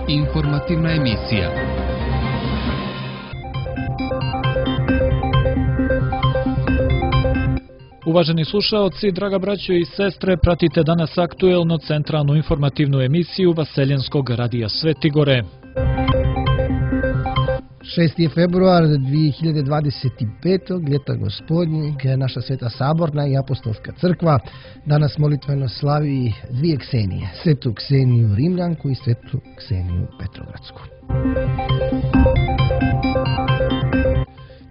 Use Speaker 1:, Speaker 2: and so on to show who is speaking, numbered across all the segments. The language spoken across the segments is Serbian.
Speaker 1: Informativna emisija.
Speaker 2: Uvaženi slušaoci, draga braćo i sestre, pratite danas aktuelno centralnu informativnu emisiju Vaseljenskog radija Svetigore.
Speaker 3: 6. februar 2025. ljeta gospodnjeg, naša Sveta Saborna i Apostolska crkva danas molitveno slavi dvije Ksenije, Svetu Kseniju Rimljanku i Svetu Kseniju Petrogradsku.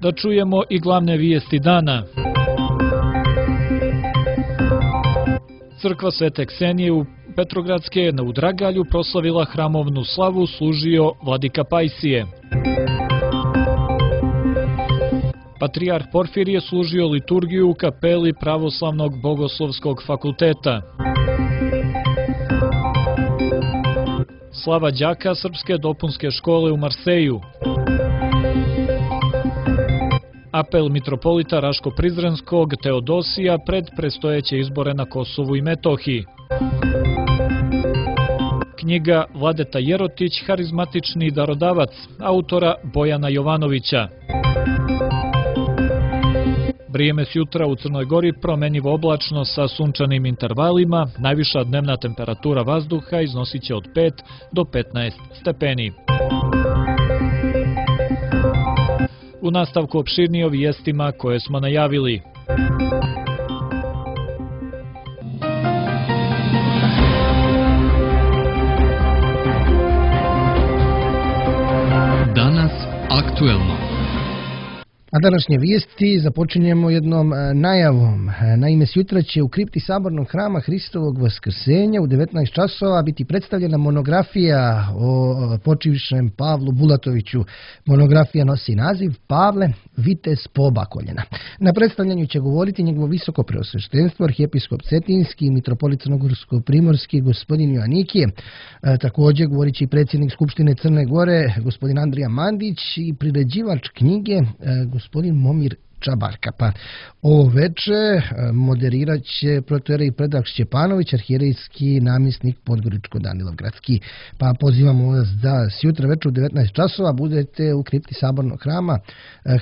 Speaker 2: Da čujemo i glavne vijesti dana. Crkva Svete Ksenije u Petrogradske u Dragalju proslavila hramovnu slavu, služio vladika Pajsije. Patrijarh Porfirije služio liturgiju u kapeli Pravoslavnog bogoslovskog fakulteta. Slava đaka Srpske dopunske škole u Marseju. Apel mitropolita Raško-Prizrenskog Teodosija pred predstojeće izbore na Kosovu i Metohiji. Knjiga Vladeta Jerotić, harizmatični darodavac, autora Bojana Jovanovića. Vrijeme jutra u Crnoj Gori promenjivo oblačno sa sunčanim intervalima, najviša dnevna temperatura vazduha iznosit će od 5 do 15 stepeni. U nastavku opširnije o vijestima koje smo najavili.
Speaker 1: Danas aktuelno.
Speaker 3: A današnje vijesti započinjemo jednom najavom. Naime, sutra će u kripti Sabornog hrama Hristovog Vaskrsenja u 19 časova biti predstavljena monografija o počivšem Pavlu Bulatoviću. Monografija nosi naziv Pavle, vitez Pobakoljena. Na predstavljanju će govoriti njegovo visoko preosveštenstvo, arhijepiskop Cetinski i mitropolit Crnogorsko-primorski gospodin Joanikije. Također govorit će i predsjednik Skupštine Crne Gore gospodin Andrija Mandić i priređivač knjige gospodin Momir Čabarka. Pa ovo veče moderirat će protoijerej Predrag Šćepanović, arhijerejski namjesnik Podgoričko-Danilovgradski. Pa pozivamo vas da sjutra večer u 19 časova budete u kripti Sabornog hrama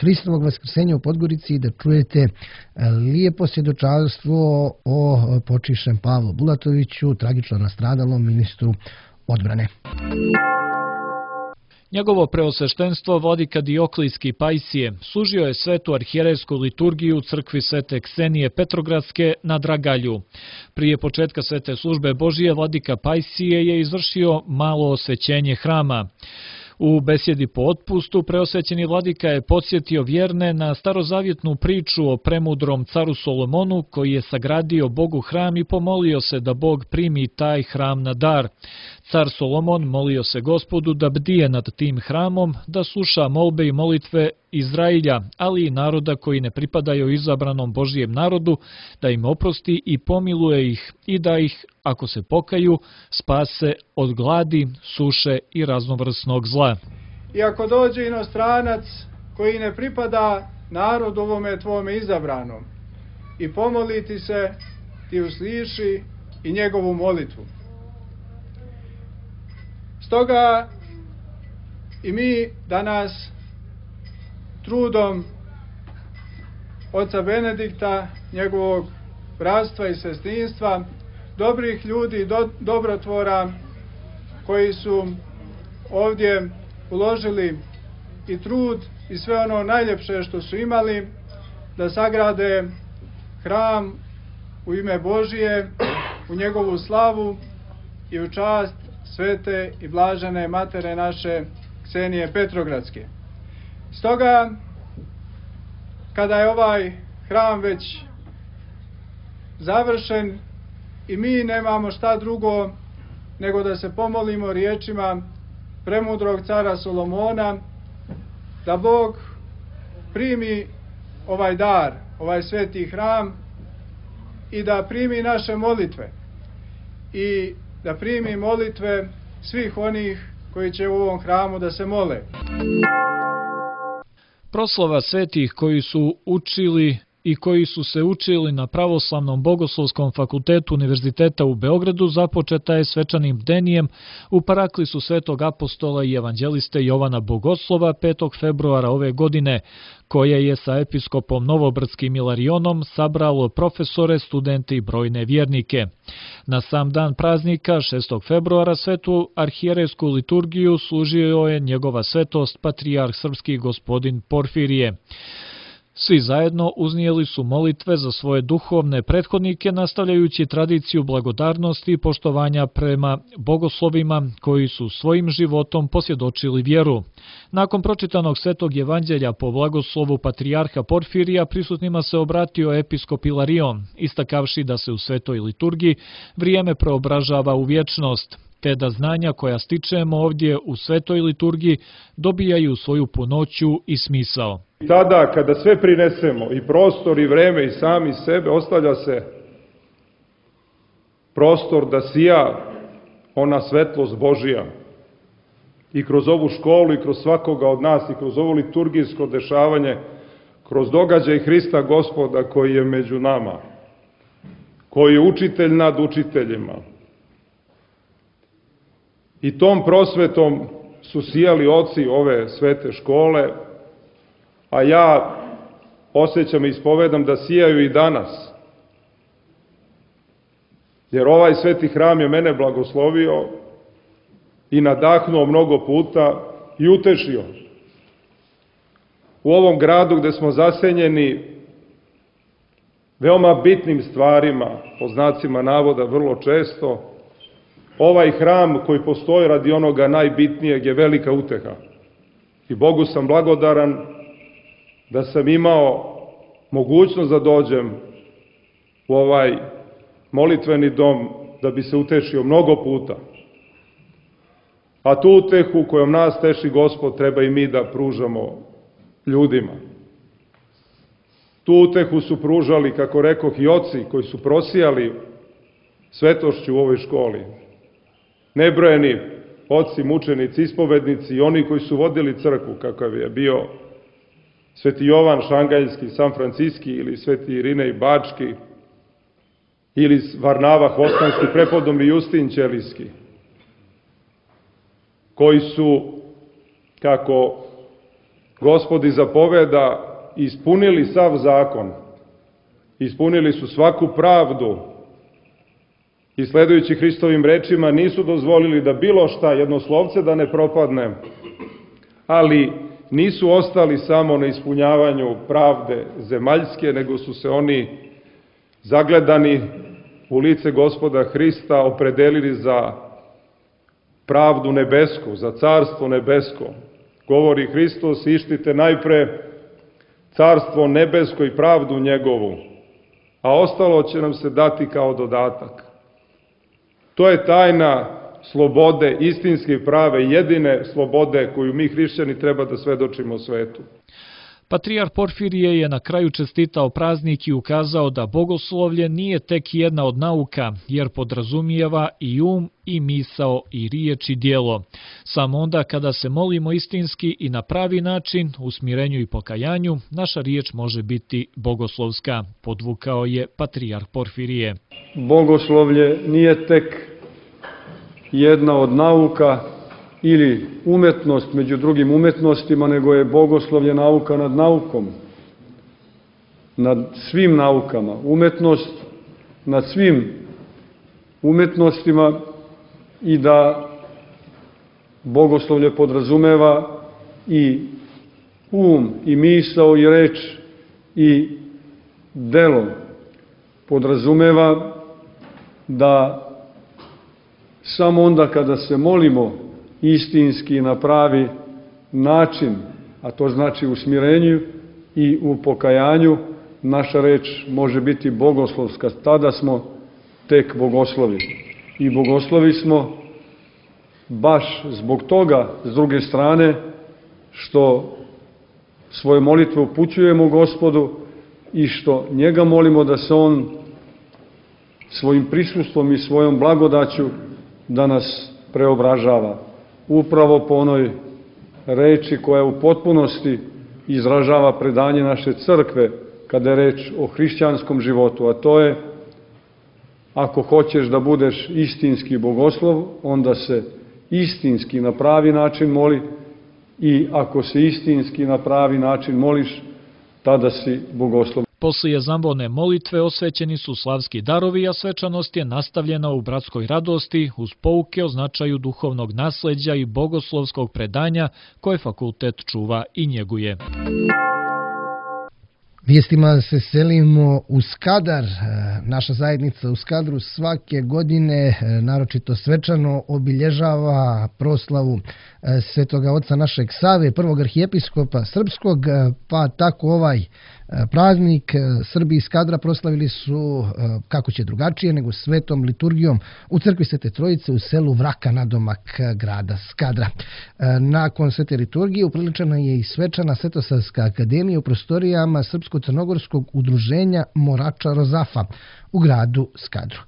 Speaker 3: Hristovog Vaskrsenja u Podgorici i da čujete lijepo svjedočanstvo o počivšem Pavlu Bulatoviću, tragično nastradalom ministru odbrane.
Speaker 2: Njegovo preosveštenstvo vladika Dioklijski Pajsije služio je svetu arhijerejsku liturgiju u crkvi Svete Ksenije Petrogradske na Dragalju. Prije početka svete službe Božije vladika Pajsije je izvršio malo osvećenje hrama. U besjedi po otpustu preosvećeni vladika je podsjetio vjerne na starozavjetnu priču o premudrom caru Solomonu koji je sagradio Bogu hram i pomolio se da Bog primi taj hram na dar. Car Solomon molio se Gospodu da bdije nad tim hramom, da sluša molbe i molitve Izrailja, ali i naroda koji ne pripadaju izabranom Božijem narodu, da im oprosti i pomiluje ih i da ih, ako se pokaju, spase od gladi, suše i raznovrsnog zla.
Speaker 4: I ako dođe inostranac koji ne pripada narodu ovome tvome izabranom i pomoliti se, ti usliši i njegovu molitvu. Stoga i mi danas trudom oca Benedikta, njegovog bratstva i sestrinstva, dobrih ljudi, dobrotvora koji su ovdje uložili i trud i sve ono najljepše što su imali da sagrade hram u ime Božije, u njegovu slavu i u čast svete i blažene matere naše Ksenije Petrogradske. Stoga, kada je ovaj hram već završen i mi nemamo šta drugo nego da se pomolimo riječima premudrog cara Solomona, da Bog primi ovaj dar, ovaj sveti hram i da primi naše molitve i da primi molitve svih onih koji će u ovom hramu da se mole.
Speaker 2: Proslava svetih koji su učili i koji su se učili na Pravoslavnom bogoslovskom fakultetu Univerziteta u Beogradu započeta je svečanim bdenijem u paraklisu Svetog apostola i evanđeliste Jovana Bogoslova 5. februara ove godine, koje je sa episkopom Novobrdskim Ilarionom sabralo profesore, studente i brojne vjernike. Na sam dan praznika, 6. februara, svetu arhijerejsku liturgiju služio je njegova svetost patrijarh srpski gospodin Porfirije. Svi zajedno uznijeli su molitve za svoje duhovne prethodnike, nastavljajući tradiciju blagodarnosti i poštovanja prema bogoslovima koji su svojim životom posvjedočili vjeru. Nakon pročitanog svetog evanđelja po blagoslovu patrijarha Porfirija, prisutnima se obratio episkop Ilarion, istakavši da se u svetoj liturgiji vrijeme preobražava u vječnost, te da znanja koja stičemo ovdje u svetoj liturgiji dobijaju svoju punoću i smisao.
Speaker 5: Tada, kada sve prinesemo, i prostor, i vreme, i sami sebe, ostavlja se prostor da sija ona svetlost Božija. I kroz ovu školu, i kroz svakoga od nas, i kroz ovo liturgijsko dešavanje, kroz događaj Hrista Gospoda koji je među nama, koji je učitelj nad učiteljima. I tom prosvetom su sijali oci ove svete škole, a ja osjećam i ispovedam da sijaju i danas. Jer ovaj sveti hram je mene blagoslovio i nadahnuo mnogo puta i utešio. U ovom gradu gde smo zasenjeni veoma bitnim stvarima, po znacima navoda vrlo često, ovaj hram koji postoji radi onoga najbitnijeg je velika uteha. I Bogu sam blagodaran da sam imao mogućnost da dođem u ovaj molitveni dom da bi se utešio mnogo puta. A tu utehu kojom nas teši Gospod treba i mi da pružamo ljudima. Tu utehu su pružali, kako rekoh, i oci koji su prosijali svetošću u ovoj školi. Nebrojeni oci, mučenici, ispovednici i oni koji su vodili crkvu, kakav je bio sveti Jovan Šangajski, San Franciski ili sveti Irinej Bački ili Varnava Hvostanski, prepodobni Justin Ćelijski, koji su, kako Gospod i zapoveda, ispunili sav zakon, ispunili su svaku pravdu i sledujući Hristovim rečima nisu dozvolili da bilo šta, jedno slovce da ne propadne, ali nisu ostali samo na ispunjavanju pravde zemaljske, nego su se oni zagledani u lice Gospoda Hrista opredelili za pravdu nebesku, za carstvo nebesko. Govori Hristos, ištite najpre carstvo nebesko i pravdu njegovu, a ostalo će nam se dati kao dodatak. To je tajna slobode, istinske i prave, jedine slobode koju mi hrišćani treba da svedočimo svetu.
Speaker 2: Patrijarh Porfirije je na kraju čestitao praznik i ukazao da bogoslovlje nije tek jedna od nauka, jer podrazumijeva i i misao, i riječ i djelo. Samo onda kada se molimo istinski i na pravi način, u smirenju i pokajanju, naša riječ može biti bogoslovska, podvukao je patrijarh Porfirije.
Speaker 6: Bogoslovlje nije tek jedna od nauka ili umetnost među drugim umetnostima, nego je bogoslovlje nauka nad naukom, nad svim naukama, umetnost nad svim umetnostima, i da bogoslovlje podrazumeva i i misao i reč i delo. Podrazumeva da samo onda kada se molimo istinski na pravi način, a to znači u smirenju i u pokajanju, naša reč može biti bogoslovska. Tada smo tek bogoslovi. I bogoslovi smo baš zbog toga, s druge strane, što svoje molitve upućujemo Gospodu i što njega molimo da se on svojim prisustvom i svojom blagodaću da nas preobražava. Upravo po onoj reči koja u potpunosti izražava predanje naše crkve, kada je reč o hrišćanskom životu, a to je: ako hoćeš da budeš istinski bogoslov, onda se istinski na pravi način moli, i ako se istinski na pravi način moliš, tada si bogoslov.
Speaker 2: Poslije zambone molitve osvećeni su slavski darovi, a svečanost je nastavljena u bratskoj radosti uz pouke o značaju duhovnog nasleđa i bogoslovskog predanja koje fakultet čuva i njeguje.
Speaker 3: Vijestima se selimo u Skadar. Naša zajednica u Skadru svake godine naročito svečano obilježava proslavu Svetoga oca našeg Save, prvog arhijepiskopa srpskog, pa tako ovaj praznik Srbi iz Skadra proslavili su, kako će drugačije, nego svetom liturgijom u crkvi Svete Trojice u selu Vraka nadomak grada Skadra. Nakon svete liturgije upriličena je i svečana Svetosavska akademija u prostorijama Srpsko-crnogorskog udruženja Morača Rozafa u gradu Skadru.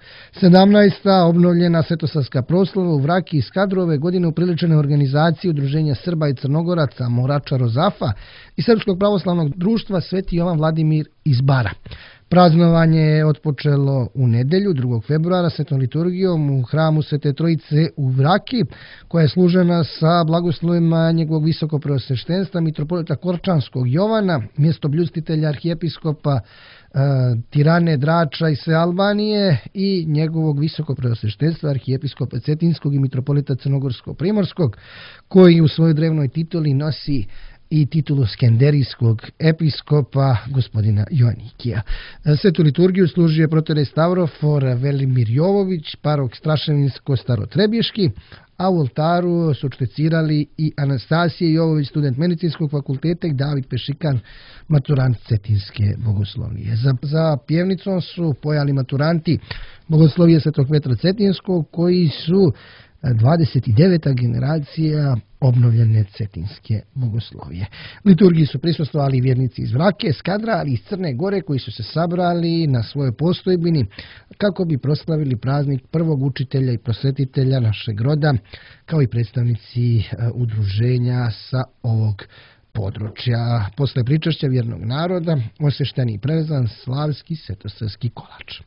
Speaker 3: 17. obnovljena Svetosavska proslava u Vraki i Skadru ove godine upriličene organizacije udruženja Srba i Crnogoraca Morača Rozafa i Srpskog pravoslavnog društva Sveti Jovan Vladimir iz Bara. Praznovanje je otpočelo u nedelju 2. februara svetom liturgijom u hramu Svete Trojice u Vraki, koja je služena sa blagoslovima njegovog visokopreosveštenstva mitropolita Korčanskog Jovana, mjestobljustitelja arhijepiskopa Tirane, Drača i sve Albanije, i njegovog visokopreosveštenstva arhijepiskopa Cetinskog i mitropolita Crnogorsko-Primorskog, koji u svojoj drevnoj tituli nosi i titulu skenderijskog episkopa gospodina Joannikija. Svetu liturgiju služio je protorej Stavrofor Velimir Jovović, parok Straševinsko-Starotrebješki, a u oltaru su špecirali i Anastasije Jovović, student medicinskog fakulteta, i David Pešikan, maturant Cetinske bogoslovije. Za pjevnicom su pojali maturanti bogoslovije Svetog Petra Cetinskog, koji su 29. generacija obnovljene cetinske bogoslovije. Liturgiji su prisustvovali vjernici iz Vrake, Skadra, ali i iz Crne Gore, koji su se sabrali na svojoj postojbini kako bi proslavili praznik prvog učitelja i prosvetitelja našeg roda, kao i predstavnici udruženja sa ovog područja. Posle pričašća vjernog naroda osvešten i prevezan slavski svetosavski kolač.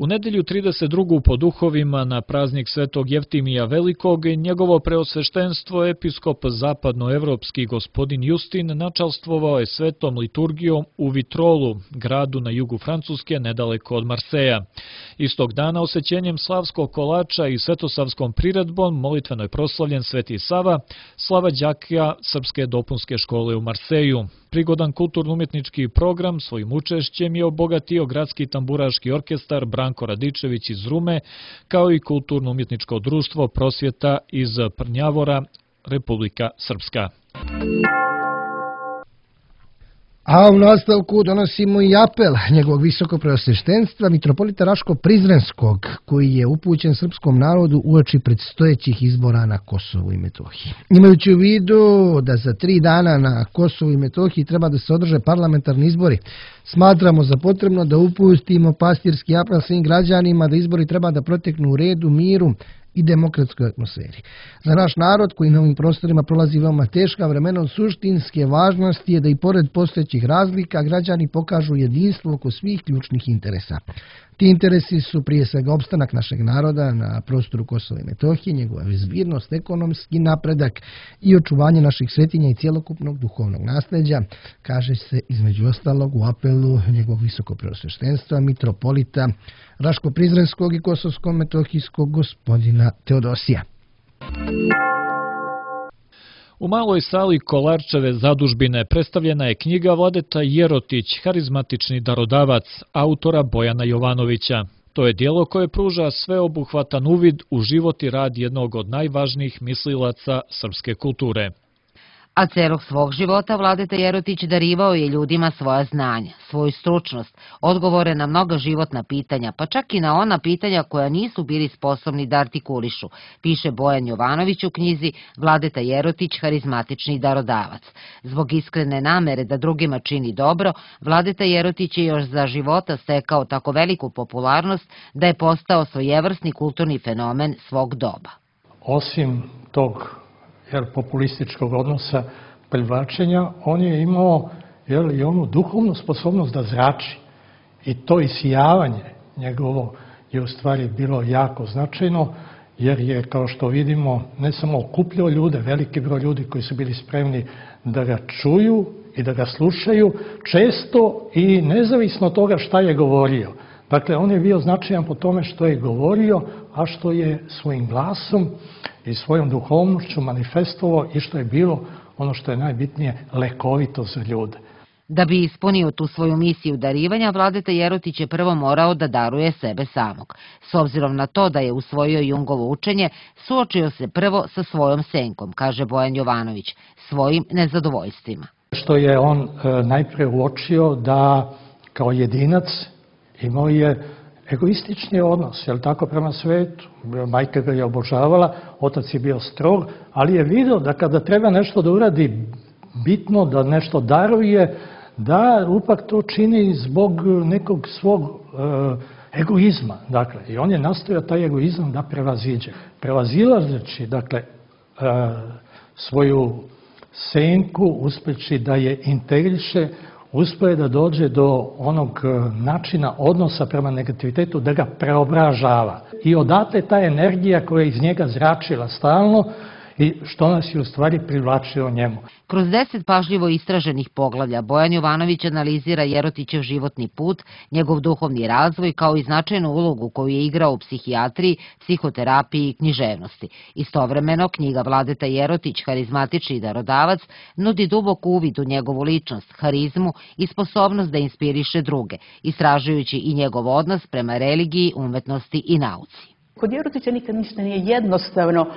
Speaker 2: U nedelju 32. po duhovima na praznik Svetog Jeftimija Velikog, njegovo preosveštenstvo episkop zapadnoevropski gospodin Justin načalstvovao je svetom liturgijom u Vitrolu, gradu na jugu Francuske, nedaleko od Marseja. Istog dana osvećenjem slavskog kolača i svetosavskom priredbom molitveno je proslavljen Sveti Sava, slava đaka Srpske dopunske škole u Marseju. Prigodan kulturno-umjetnički program svojim učešćem je obogatio gradski tamburaški orkestar Branko Radičević iz Rume, kao i kulturno-umjetničko društvo Prosvjeta iz Prnjavora, Republika Srpska.
Speaker 3: A u nastavku donosimo i apel njegovog visokopreosveštenstva mitropolita Raško-Prizrenskog, koji je upućen srpskom narodu uoči predstojećih izbora na Kosovu i Metohiji. Imajući u vidu da za 3 dana na Kosovu i Metohiji treba da se održe parlamentarni izbori, smatramo za potrebno da upustimo pastirski apel svim građanima da izbori treba da proteknu u redu, miru i demokratskoj atmosferi. Za naš narod, koji na ovim prostorima prolazi veoma teška vremena, od suštinske važnosti je da i pored postojećih razlika građani pokažu jedinstvo oko svih ključnih interesa. Ti interesi su prije svega opstanak našeg naroda na prostoru Kosova i Metohije, njegova bezbjednost, ekonomski napredak i očuvanje naših svetinja i cjelokupnog duhovnog nasleđa, kaže se između ostalog u apelu njegovog visokopreosveštenstva mitropolita Raško-Prizrenskog i Kosovsko-Metohijskog gospodina Teodosija.
Speaker 2: U maloj sali Kolarčeve zadužbine predstavljena je knjiga Vladeta Jerotić, harizmatični darodavac, autora Bojana Jovanovića. To je djelo koje pruža sveobuhvatan uvid u život i rad jednog od najvažnijih mislilaca srpske kulture.
Speaker 7: A celog svog života Vladeta Jerotić darivao je ljudima svoja znanja, svoju stručnost, odgovore na mnoga životna pitanja, pa čak i na ona pitanja koja nisu bili sposobni da artikulišu, piše Bojan Jovanović u knjizi Vladeta Jerotić, harizmatični darodavac. Zbog iskrene namere da drugima čini dobro, Vladeta Jerotić je još za života stekao tako veliku popularnost da je postao svojevrsni kulturni fenomen svog doba.
Speaker 8: Osim tog populističkog odnosa privlačenja, on je imao i onu duhovnu sposobnost da zrači. I to isijavanje njegovo je u stvari bilo jako značajno, jer je, kao što vidimo, ne samo okupljao ljude, veliki broj ljudi koji su bili spremni da ga čuju i da ga slušaju, često i nezavisno od toga šta je govorio. Dakle, on je bio značajan po tome što je govorio, a što je svojim glasom i svojom duhovnošću manifestovao i što je bilo ono što je najbitnije, lekovito za ljude.
Speaker 7: Da bi ispunio tu svoju misiju darivanja, Vladeta Jerotić je prvo morao da daruje sebe samog. S obzirom na to da je usvojio Jungovo učenje, suočio se prvo sa svojom senkom, kaže Bojan Jovanović, svojim nezadovoljstvima.
Speaker 8: Što je on najpre uočio da kao jedinac imao je egoistični odnos, je li tako, prema svetu. Majka ga je obožavala, otac je bio strog, ali je vidio da kada treba nešto da uradi bitno, da nešto daruje, da upak to čini zbog nekog svog egoizma. Dakle, i on je nastojao taj egoizam da prevaziđe. Prevazilazeći, dakle, svoju senku, uspeći da je integriše, uspio je da dođe do onog načina odnosa prema negativitetu, da ga preobražava. I odatle ta energija koja je iz njega zračila stalno i što nas je u stvari privlačilo njemu.
Speaker 7: Kroz 10 pažljivo istraženih poglavlja Bojan Jovanović analizira Jerotićev životni put, njegov duhovni razvoj kao i značajnu ulogu koju je igrao u psihijatriji, psihoterapiji i književnosti. Istovremeno, knjiga Vladeta Jerotić, harizmatični darodavac, nudi dubok uvid u njegovu ličnost, harizmu i sposobnost da inspiriše druge, istražujući i njegov odnos prema religiji, umetnosti i nauci.
Speaker 9: Kod Jerotića nikad ništa nije jednostavno.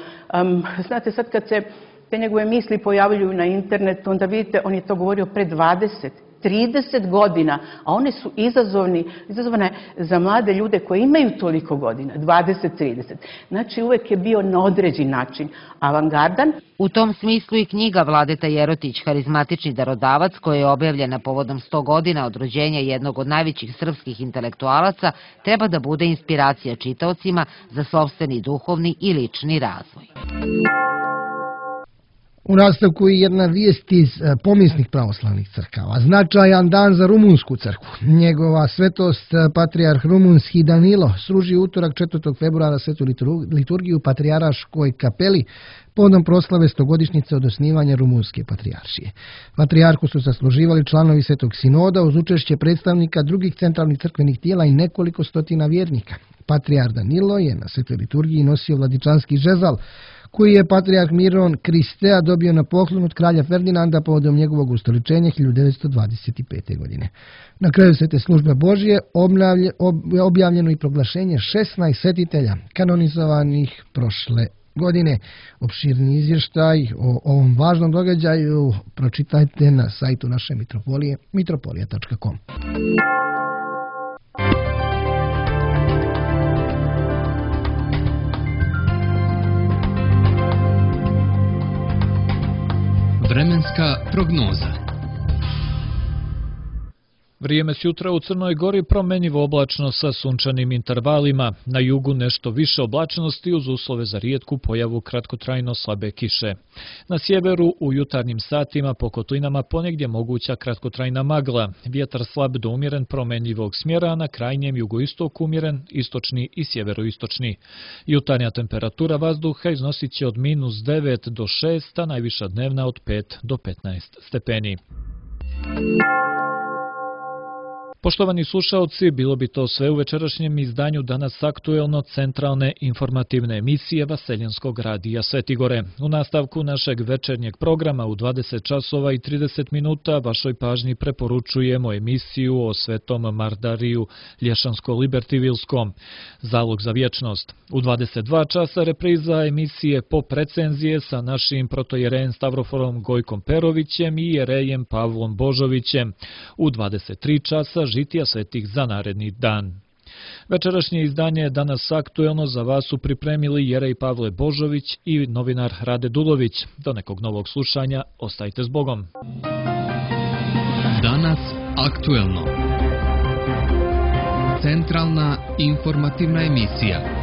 Speaker 9: Znate, sad kad se te njegove misli pojavljuju na internetu, onda vidite, on je to govorio pre 20-30 godina, a one su izazovne za mlade ljude koji imaju toliko godina, 20-30. Znači, uvek je bio na određen način avangardan.
Speaker 7: U tom smislu i knjiga Vladeta Jerotić, harizmatični darodavac, koja je objavljena povodom 100 godina od rođenja jednog od najvećih srpskih intelektualaca, treba da bude inspiracija čitaocima za sopstveni duhovni i lični razvoj.
Speaker 3: U nastavku je jedna vijest iz pomisnih pravoslavnih crkava. Značajan dan za rumunsku crkvu. Njegova svetost patrijarh rumunski Danilo sruži utorak 4. februara svetu liturgiju u Patrijarškoj kapeli povodom proslave 100-godišnjice od osnivanja rumunske patrijaršije. Patrijarhu su sasluživali članovi Svetog sinoda uz učešće predstavnika drugih centralnih crkvenih tijela i nekoliko stotina vjernika. Patrijarh Danilo je na svetoj liturgiji nosio vladičanski žezal, koji je patrijarh Miron Kristea dobio na poklon od kralja Ferdinanda povodom njegovog ustoličenja 1925. godine. Na kraju svete službe Božije objavljeno i proglašenje 16 svetitelja kanonizovanih prošle godine. Opširni izvještaj o ovom važnom događaju pročitajte na sajtu naše mitropolije mitropolija.com.
Speaker 1: Vremenska prognoza.
Speaker 2: Vrijeme sutra u Crnoj Gori promenjivo oblačno sa sunčanim intervalima. Na jugu nešto više oblačnosti uz uslove za rijetku pojavu kratkotrajno slabe kiše. Na sjeveru u jutarnjim satima po kotlinama ponegdje moguća kratkotrajna magla. Vjetar slab do umjeren promenjivog smjera, a na krajnjem jugoistoku umjeren, istočni i sjeveroistočni. Jutarnja temperatura vazduha iznosit će od -9 do 6, a najviša dnevna od 5 do 15 stepeni. Poštovani slušaoci, bilo bi to sve u večerašnjem izdanju Danas aktuelno centralne informativne emisije Vaseljenskog radija Svetigore. U nastavku našeg večernjeg programa u 20 časova i 30 minuta vašoj pažnji preporučujemo emisiju o Svetom Mardariju Lješansko-Libertivilskom, Zalog za vječnost. U 22 časa repriza emisije Pop recenzije sa našim protojerejem Stavroforom Gojkom Perovićem i jerejem Pavlom Božovićem. U 23 časa žitija svetih za naredni dan. Večerašnje izdanje Danas aktuelno za vas su pripremili jerej Pavle Božović i novinar Rade Dulović. Do nekog novog slušanja, ostajte s Bogom.
Speaker 1: Danas aktuelno. Centralna informativna emisija.